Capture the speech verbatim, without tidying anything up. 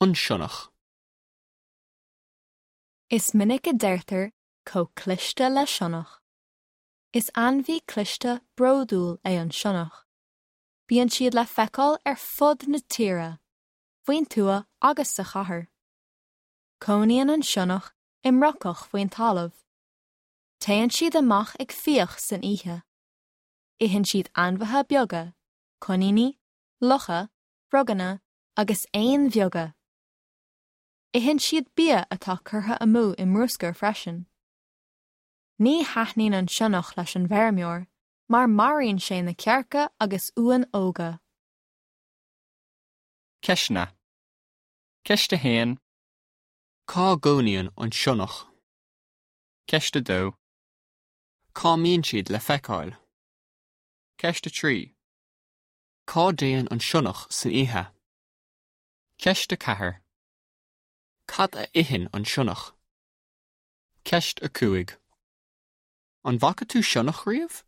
An sionnach. Is minic a deirtear chomh cliste le sionnach. Is ainmhí cliste bródúil é an sionnach. Bíonn siad le feiceáil ar fud na tíre, faoin tuath agus sa chathair. Cónaíonn an sionnach i mbrocach faoin talamh. Téann siad amach ag fiach san oíche. Itheann siad ainmhithe beaga, coiníní, lucha, froganna agus éin bheaga. Itheann siad bia atá curtha amú i mbruscar freisin. Ní thaitníonn an sionnach leis an bhfeirmeoir, mar maraíonn sé na cearca agus uain óga. Ceisteanna. Ceist a haon. Cá gcónaíonn an sionnach? Ceist a dó. Cá mbíonn siad le feiceáil? Ceist a trí. Cá dtéann an sionnach san oíche? Ceist a ceathair. Cad a itheann an sionnach? Ceist a cúig. An bhfaca tú sionnach riamh?